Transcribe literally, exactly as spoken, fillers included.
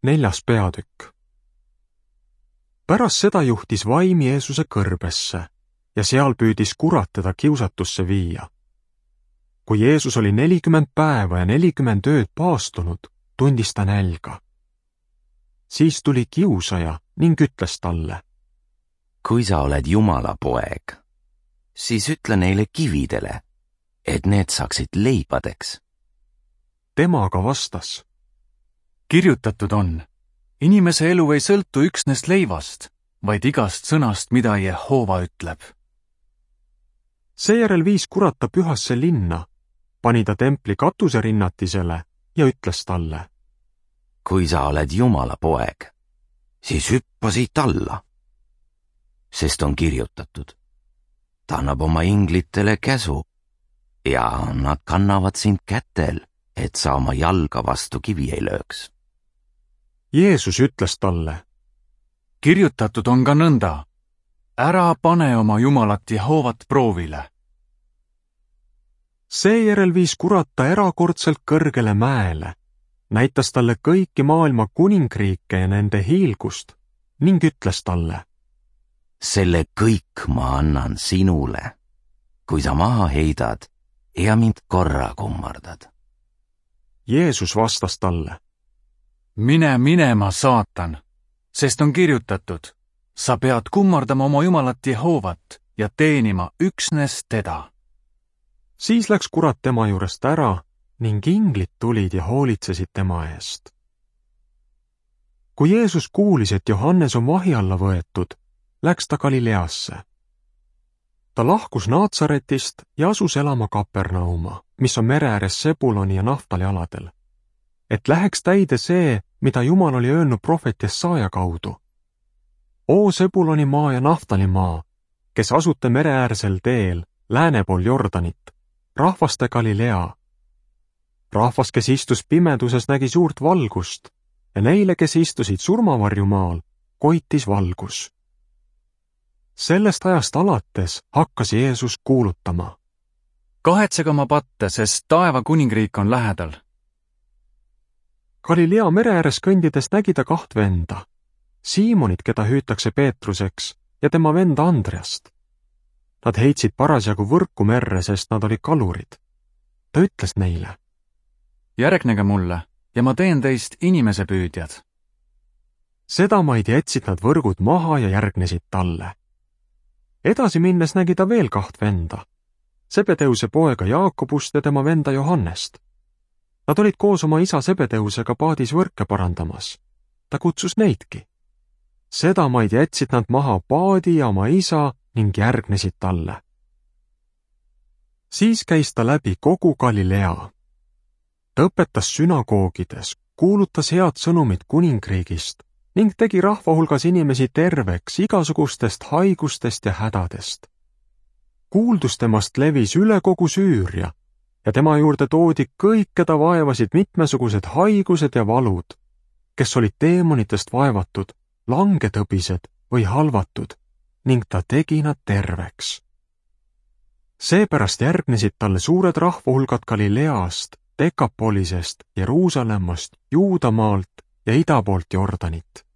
Neljas peatükk. Pärast seda juhtis vaim Jeesuse kõrbesse ja seal püüdis kurat teda kiusatusse viia. Kui Jeesus oli nelikümmend päeva ja nelikümmend ööd paastunud, tundis ta nälga. Siis tuli kiusaja ning ütles talle: Kui sa oled Jumala poeg, siis ütle neile kividele, et need saaksid leibadeks. Tema aga vastas: Kirjutatud on, inimese elu ei sõltu üksnes leivast, vaid igast sõnast, mida Jehova ütleb. Seejärel viis kurat ta pühasse linna, pani ta templi katuseerinnatisele ja ütles talle: Kui sa oled Jumala poeg, siis hüppa siit alla. Sest on kirjutatud, ta annab oma inglitele käsu ja nad kannavad sind kätel, et sa oma jalga vastu kivi ei lööks. Jeesus ütles talle: Kirjutatud on ka nõnda, ära pane oma Jumalat Jehovat proovile. Seejärel viis kurat ta erakordselt kõrgele mäele, näitas talle kõiki maailma kuningriike ja nende hiilgust ning ütles talle: Selle kõik ma annan sinule, kui sa maha heidad ja mind korra kummardad. Jeesus vastas talle: Mine minema, saatan, sest on kirjutatud, sa pead kummardama oma Jumalat Jehovat ja teenima üksnes teda. Siis läks kurat tema juurest ära ning inglid tulid ja hoolitsesid tema eest. Kui Jeesus kuulis, et Johannes on vahi alla võetud, läks ta Galileasse. Ta lahkus Naatsaretist ja asus elama Kapernauma, mis on mere ääres Sebuloni ja Naftali aladel, et läheks täide see, mida Jumal oli öelnud prohvet Jesaja kaudu. O Sebuloni maa ja Naftali maa, kes asute mereäärsel teel, lääne pool Jordanit, rahvaste Galilea. Rahvas, kes istus pimeduses, nägi suurt valgust ja neile, kes istusid surmavarjumaal, koitis valgus. Sellest ajast alates hakkas Jeesus kuulutama: Kahetsege oma patte, sest taeva kuningriik on lähedal. Galilea mere ääres kõndides nägi ta kaht venda, Siimonit, keda hüütakse Peetruseks, ja tema venda Andreast. Nad heitsid parasjagu võrku merre, sest nad olid kalurid. Ta ütles neile: Järgnege mulle ja ma teen teist inimesepüüdjad. Sedamaid jätsid nad võrgud maha ja järgnesid talle. Edasi minnes nägi ta veel kaht venda, Sebedeuse poega Jaakobust ja tema venda Johannest. Nad olid koos oma isa Sebedeusega paadis võrke parandamas. Ta kutsus neidki. Sedamaid jätsid nad maha paadi ja oma isa ning järgnesid talle. Siis käis ta läbi kogu Galilea. Ta õpetas sünagoogides, kuulutas head sõnumit kuningriigist ning tegi rahva hulgas inimesi terveks igasugustest haigustest ja hädadest. Kuuldus temast levis üle kogu Süüria ja tema juurde toodi kõik, keda vaevasid mitmesugused haigused ja valud, kes olid teemonitest vaevatud, langetõbised või halvatud, ning ta tegi nad terveks. Seepärast järgnesid talle suured rahvahulgad Galileast, Dekapolisest, Jeruusalemmast, Juudamaalt ja ida poolt Jordanit.